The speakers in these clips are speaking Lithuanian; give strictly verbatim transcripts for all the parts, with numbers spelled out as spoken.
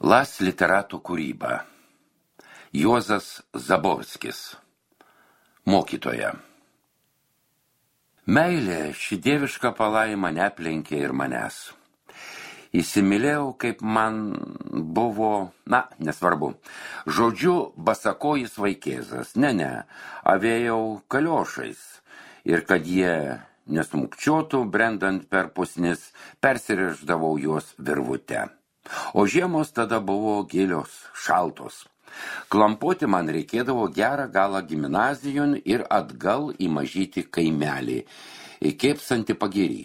Las literatų kūryba. Juozas Zaborskis. Mokytoja. Meilė ši dieviška palaima neaplenkė ir manęs. Įsimylėjau, kaip man buvo, na, nesvarbu, žodžiu, basakojis vaikėzas, ne, ne, avėjau kaliošais, ir kad jie nesmukčiotų, brendant per pusnis, persiriždavau juos virvute. O žiemos tada buvo gilios, šaltos. Klampoti man reikėdavo gerą galą gimnazijon ir atgal į mažytį kaimelį, įkėpsantį pagirį.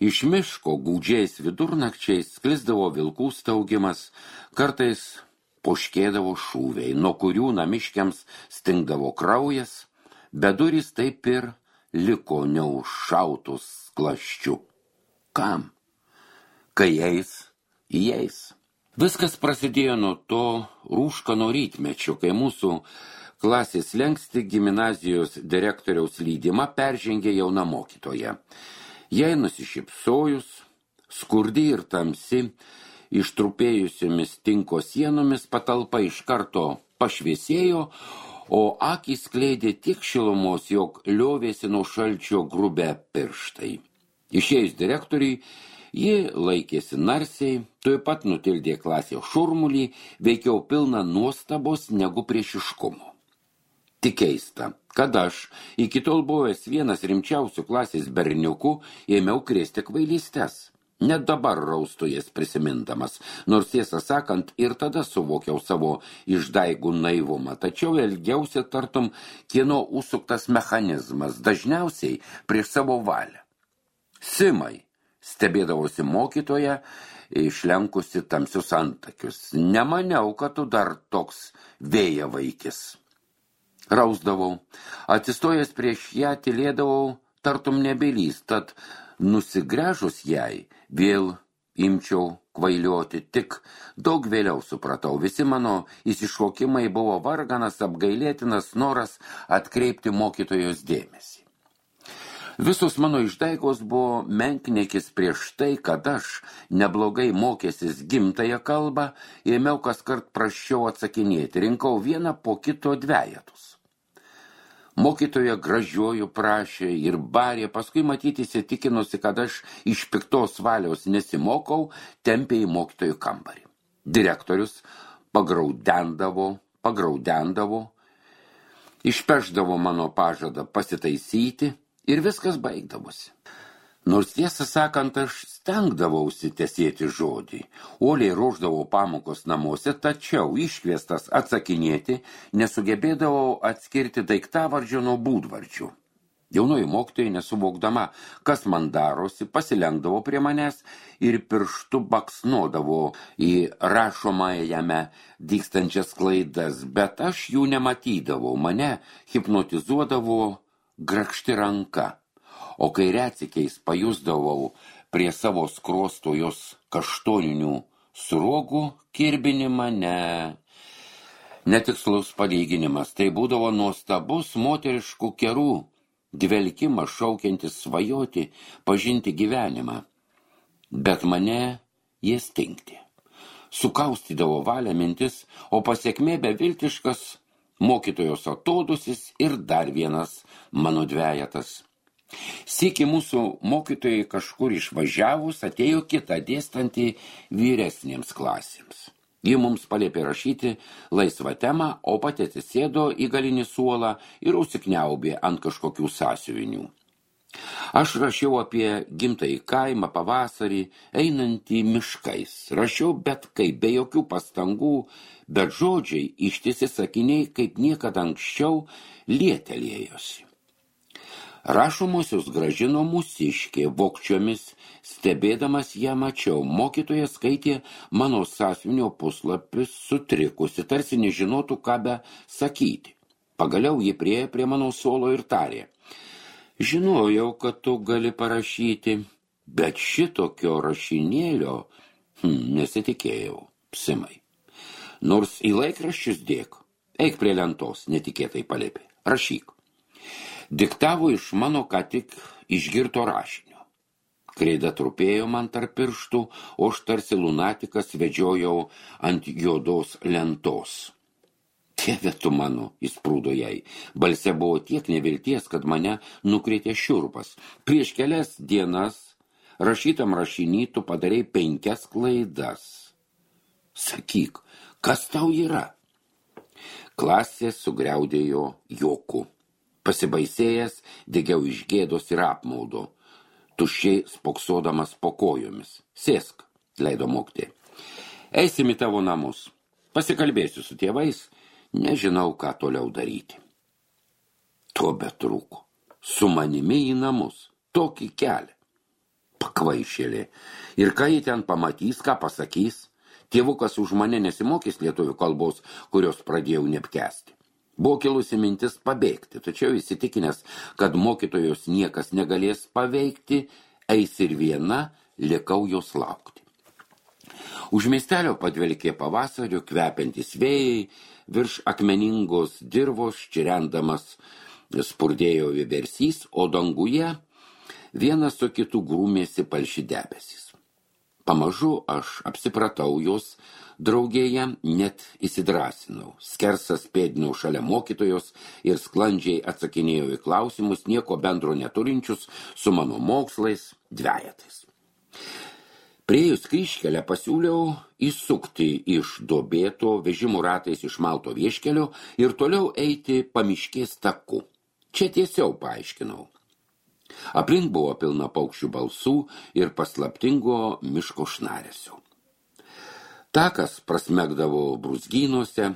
Iš miško gūdžiais vidurnakčiais sklisdavo vilkų staugimas, kartais poškėdavo šūviai, nuo kurių namiškiams stingdavo kraujas, bet durys taip ir liko neužšautus klaščiu. Kam? Kai eis, įeis. Viskas prasidėjo nuo to rūškano rytmečio, kai mūsų klasės slenksti gimnazijos direktoriaus lydimą peržengė jauna mokytoja. Jai nusišypsojus, skurdi ir tamsi, ištrupėjusiomis tinko sienomis patalpa iš karto pašviesėjo, o akys skleidė tiek šilumos, jog liovėsi nuo šalčio grubę pirštai. Išėjus direktoriui, ji laikėsi narsiai, tuoj pat nutildė klasės šurmulį, veikiau pilną nuostabos negu priešiškumo. Tik keista, kad aš, iki tol buvęs vienas rimčiausių klasės berniukų, ėmiau krėsti kvailystes. Net dabar raustu jas prisimindamas, nors tiesą sakant, ir tada suvokiau savo išdaigų naivumą, tačiau elgiausi tartum kieno užsuktas mechanizmas, dažniausiai prieš savo valią. Simai, stebėdavosi mokytoja, išlenkusi tamsius antakius. Nemaniau, kad tu dar toks vėja vaikis. Rausdavau, atsistojęs prieš ją tylėdavau, tartum nebylys, tad nusigręžus jai, vėl imčiau kvailioti, tik daug vėliau supratau. Visi mano įsišokimai buvo varganas, apgailėtinas noras atkreipti mokytojos dėmesį. Visos mano išdaigos buvo menkniekis prieš tai, kad aš, neblogai mokęsis gimtąją kalbą, ėmiau kaskart prasčiau atsakinėti, rinkau vieną po kito dvejetus. Mokytoja gražiuoju prašė ir barė, paskui matyti įsitikinusi, kad aš iš piktos valios nesimokau, tempė į mokytojų kambarį. Direktorius pagraudendavo, pagraudendavo, išpešdavo mano pažadą pasitaisyti ir viskas baigdavosi. Nors tiesą sakant, aš stengdavausi tesėti žodį, uoliai ruošdavau pamokos namuose, tačiau iškviestas atsakinėti nesugebėdavau atskirti daiktavardžio nuo būdvardžių. Jaunoji mokytoja, nesuvokdama, kas man darosi, pasilenkdavo prie manęs ir pirštu baksnodavo į rašomajame dygstančias klaidas, bet aš jų nematydavau, mane hipnotizuodavo grakšti ranka. O kai retsykiais pajusdavau prie savo skruosto jos kaštoninių sruogų kirbinimą, ne. Netikslus palyginimas, tai būdavo nuostabus moteriškų kerų, dvelkimas šaukiantis svajoti, pažinti gyvenimą. Bet mane jie stingti. Sukaustydavo valią mintis, o pasekmė beviltiškas mokytojos atodusis ir dar vienas mano dvejetas. Sykį mūsų mokytojai kažkur išvažiavus atėjo kita dėstanti vyresniems klasėms. Ji mums paliepė rašyti laisvą temą, o pati atsisėdo į galinį suolą ir užsikniaubė ant kažkokių sąsiuvinių. Aš rašiau apie gimtąjį kaimą pavasarį, einantį miškais. Rašiau bet kaip, be jokių pastangų, bet žodžiai, ištisi sakiniai, kaip niekada anksčiau, lietelėjosi. Rašomosius gražino mūsiškė, vokčiomis, stebėdamas ją mačiau. Mokytoja skaitė mano sąsiuvinio puslapius sutrikusi, tarsi nežinotų, ką be sakyti. Pagaliau ji priėjo prie mano suolo ir tarė: žinojau, kad tu gali parašyti, bet šitokio rašinėlio hm, nesitikėjau, Simai. Nors į laikraščius dėk, eik prie lentos, netikėtai paliepė, rašyk. Diktavo iš mano ką tik išgirto rašinio. Kreida trupėjo man tarp pirštų, o aš tarsi lunatikas vedžiojau ant juodos lentos. Dieve tu mano, įsprūdo jai. Balse buvo tiek nevilties, kad mane nukrėtė šiurpas. Prieš kelias dienas rašytam rašiny tu padarei penkias klaidas. Sakyk, kas tau yra? Klasė sugriaudėjo juoku. Pasibaisėjęs, degiau iš gėdos ir apmaudo. Tuščiai spoksodamas po kojomis. Sėsk, leido mokytoja. Eisim į tavo namus. Pasikalbėsiu su tėvais. Nežinau, ką toliau daryti. To betrūko. Su manimi į namus. Tokį kelią. Pakvaišėlė. Ir ką jį ten pamatys, ką pasakys? Tėvukas už mane nesimokys lietuvių kalbos, kurios pradėjau neapkęsti. Buvo kilusi mintis pabėgti, tačiau įsitikinęs, kad mokytojos niekas negalės paveikti, eis ir viena, likau jos laukti. Už miestelio padvelkė pavasario kvepiantis vėjai, virš akmeningos dirvos čirendamas spurdėjo vieversys, o danguje vienas su kitu grūmėsi palši debesys. Pamažu aš apsipratau jos draugėje, net įsidrasinau. Skersas pėdinau šalia mokytojos ir sklandžiai atsakinėjau į klausimus, nieko bendro neturinčius su mano mokslais dvejetais. Priėjus kryžkelę pasiūliau įsukti iš duobėto vežimų ratais išmalto vieškelio ir toliau eiti pamiškės taku. Čia tiesiau paaiškinau. Aplink buvo pilna paukščių balsų ir paslaptingo miško šnaresio. Takas prasmegdavo brūzgynuose,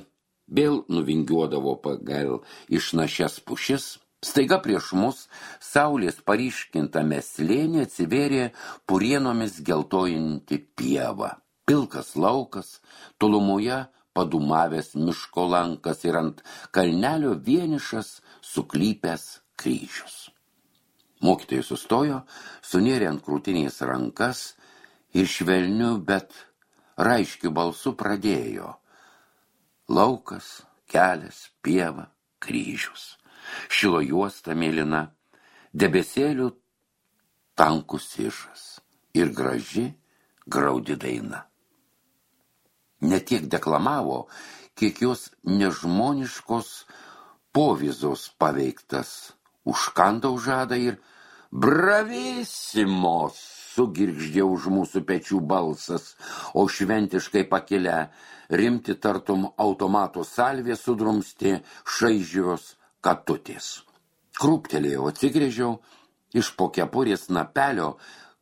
vėl nuvingiuodavo pagal išnašias pušis. Staiga prieš mus saulės paryškintame slėnyje atsivėrė purienomis geltojanti pieva. Pilkas laukas, tolumoje padumavęs miško lankas ir ant kalnelio vienišas suklypęs kryžius. Mokytojai sustojo, sunėrė ant krūtinės rankas ir švelniu, bet raiškiu balsu pradėjo. Laukas, kelias, pieva, kryžius. Šilo juosta mėlyna, debesėlių tankus išas ir graži, graudi daina. Ne tiek deklamavo, kiek jos nežmoniškos povizos paveiktas, užkandau žadą ir bravisimos sugirgždė už mūsų pečių balsas, o šventiškai pakilę rimti tartum automato salvė sudrumsti šaižios katutės. Krūptelėjau, atsigrėžiau, iš po kepurės napelio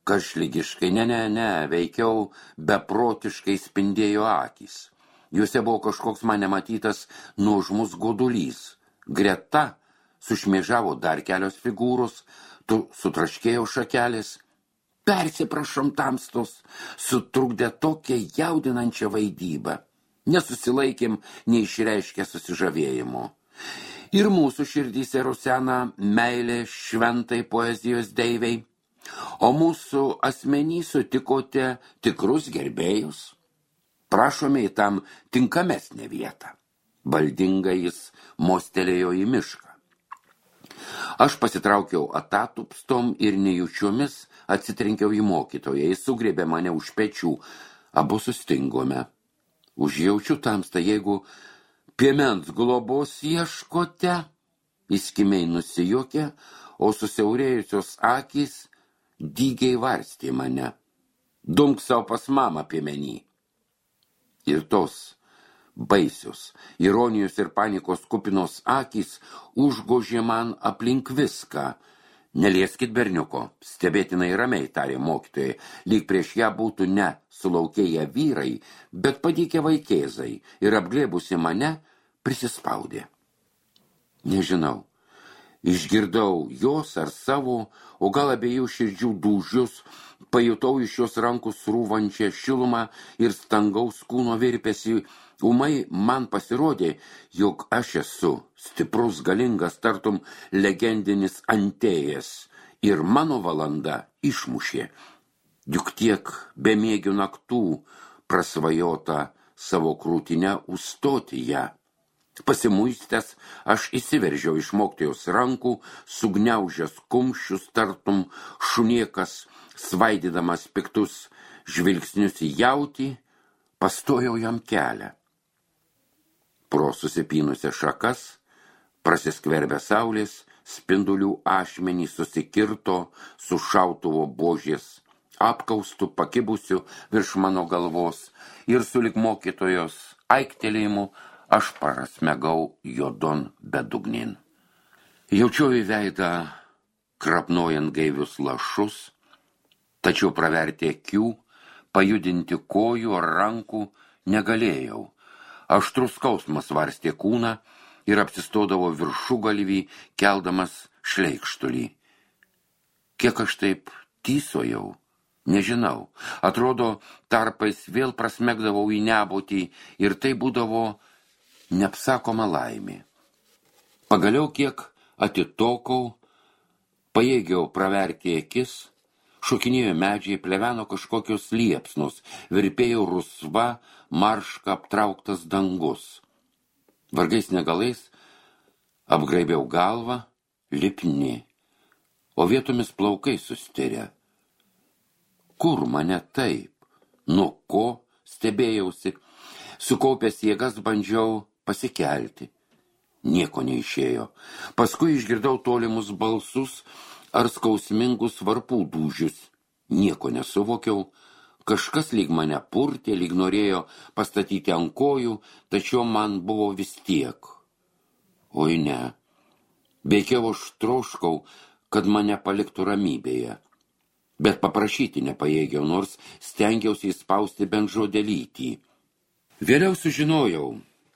karšlygiškai, ne, ne, ne, veikiau beprotiškai spindėjo akys. Juose buvo kažkoks man nematytas nuožmus godulys. Greta sušmėžavo dar kelios figūros, tu sutraškėjo šakelės. Persiprašom tamstos, sutrukdė tokią jaudinančią vaidybą. Nesusilaikėm, neišreiškę susižavėjimo. Ir mūsų širdyse rusena meilė šventai poezijos deivei, o mūsų asmenį sutikote tikrus gerbėjus. Prašome į tam tinkamesnę vietą. Valdingai jis mostelėjo į mišką. Aš pasitraukiau atatupstom ir nejučiomis atsitrenkiau į mokytoją. Jis sugriebė mane už pečių. Abu sustingome. Užjaučiu tamstą, jeigu piemens globos ieškote, įskimiai nusijuokė, o susiaurėjusios akys dygiai varstė mane. Dumk savo pas mamą piemenį. Ir tos baisios, ironijos ir panikos kupinos akys užgožė man aplink viską. Nelieskit berniuko, stebėtinai ramiai, tarė mokytojai, lyg prieš ją būtų ne sulaukėję vyrai, bet padykę vaikėzai ir apglėbusi mane prisispaudė. Nežinau, išgirdau jos ar savo, o gal abiejų širdžių dūžius, pajutau iš jos rankų srūvančią šilumą ir stangaus kūno virpesį. Ūmai man pasirodė, jog aš esu stiprus, galingas, tartum legendinis Antėjas, ir mano valanda išmušė. Juk tiek bemiegių naktų prasvajota savo krūtinę užstoti ją. Pasimuistęs, aš įsiveržiau iš mokytojos rankų, sugniaužęs kumščius, tartum šuniekas, svaidydamas piktus žvilgsnius į jautį, pastojau jam kelią. Pro susipynusią šakas, prasiskverbę saulės, spindulių ašmenį susikirto su šautuvo buožės apkaustų pakibusių virš mano galvos ir sulig mokytojos aiktelėjimu aš prasmegau juodon bedugnin. Jaučiau į veidą krapnojant gaivius lašus, tačiau praverti akių, pajudinti kojų ar rankų negalėjau. Aštrus skausmas varstė kūną ir apsistodavo viršugalvį, keldamas šleikštulį. Kiek aš taip tysojau, nežinau. Atrodo, tarpais vėl prasmegdavau į nebūtį ir tai būdavo neapsakoma laimė. Pagaliau kiek atitokau, pajėgiau praverti akis, šokinėjo medžiai, pleveno kažkokios liepsnos, virpėjo rusva, marška aptrauktas dangus. Vargais negalais apgraibiau galvą, lipni, o vietomis plaukai sustirę. Kur mane taip? Nuo ko stebėjausi? Sukaupęs jėgas bandžiau pasikelti. Nieko neišėjo. Paskui išgirdau tolimus balsus ar skausmingus varpų dūžius. Nieko nesuvokiau. Kažkas lyg mane purtė, lyg norėjo pastatyti ant kojų, tačiau man buvo vis tiek. Oi ne. Veikiau aš troškau, kad mane paliktų ramybėje. Bet paprašyti nepajėgiau, nors stengiausi įspausti bent žodelytį. Vėliau sužinojau,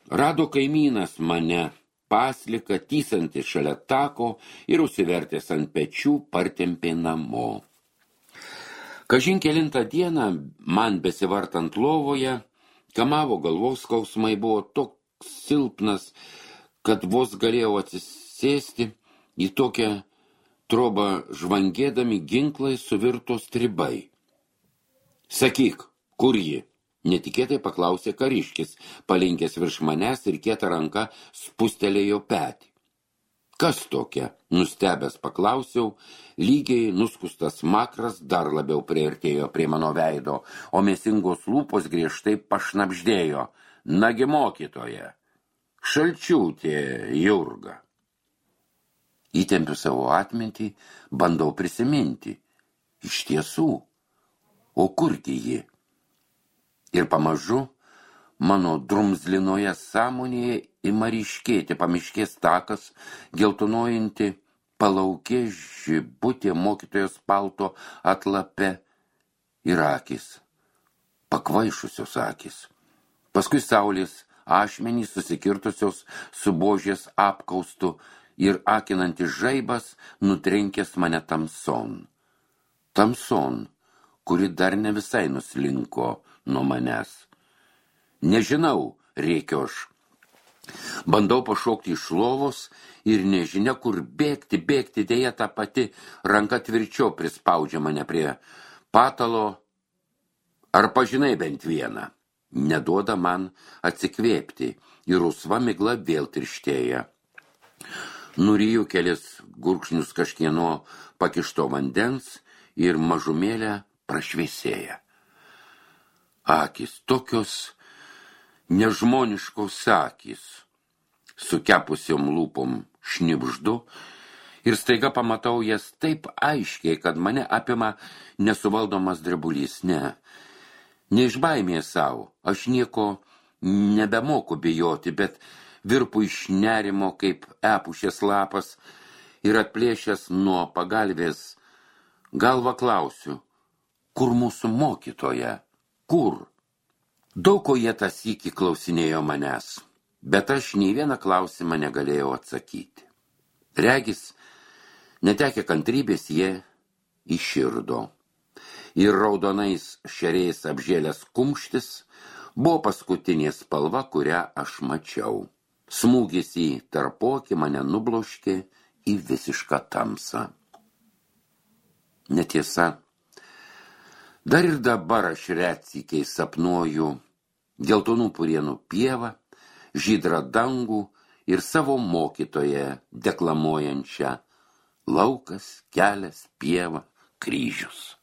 rado kaimynas mane, pasliką, tysantį šalia tako ir užsivertęs ant pečių partempė namo. Kažin kelintą dieną, man besivartant lovoje, kamavo galvos skausmai, buvo toks silpnas, kad vos galėjau atsisėsti, į tokią trobą žvangėdami ginklai suvirto stribai. Sakyk, kur ji? Netikėtai paklausė kariškis, palinkęs virš manęs ir kieta ranka spustelėjo petį. Kas tokia? Nustebęs paklausiau, lygiai nuskustas makras dar labiau priartėjo prie mano veido, o mėsingos lūpos griežtai pašnabždėjo. Nagi mokytoja, Šalčiūtė Jurga. Įtempiu savo atmintį, bandau prisiminti. Iš tiesų, o kurgi ji? Ir pamažu mano drumzlinoje sąmonėje ima ryškėti pamiškės takas, geltonuojanti palaukė žibutė mokytojos palto atlape ir akis, pakvaišusios akis. Paskui saulės ašmenys susikirtusios su buožės apkaustu ir akinantis žaibas nutrenkęs mane tamson. Tamson, kuri dar ne visai nuslinko nuo manęs. Nežinau, rėkiu aš. Bandau pašokti iš lovos ir nežinia, kur bėgti, bėgti, dėja ta pati ranka tvirčiau prispaudžia mane prie patalo. Ar pažinai bent vieną? Neduoda man atsikvėpti ir rusva migla vėl tirštėja. Nuryju kelis gurkšnius kažkieno pakišto vandens ir mažumėlę prašviesėja. Akis tokios nežmoniškos akys, su kepusiom lūpom šnibždu ir staiga pamatau jas taip aiškiai, kad mane apima nesuvaldomas drebulys. Ne, ne iš baimės savo, aš nieko nebemoku bijoti, bet virpu iš nerimo kaip epušės lapas ir atplėšęs nuo pagalvės galvą klausiu, kur mūsų mokytoja, kur? Daug ko jie tą sykį klausinėjo manęs, bet aš nei vieną klausimą negalėjau atsakyti. Regis, netekę kantrybės jie iširdo. Ir raudonais šeriais apžėlęs kumštis buvo paskutinė spalva, kurią aš mačiau. Smūgis į tarpokį mane nubloškė į visišką tamsą. Netiesa, dar ir dabar aš retsykiai sapnuoju geltonų purienų pievą, žydrą dangų ir savo mokytoją deklamuojančią laukas, kelias, pieva, kryžius.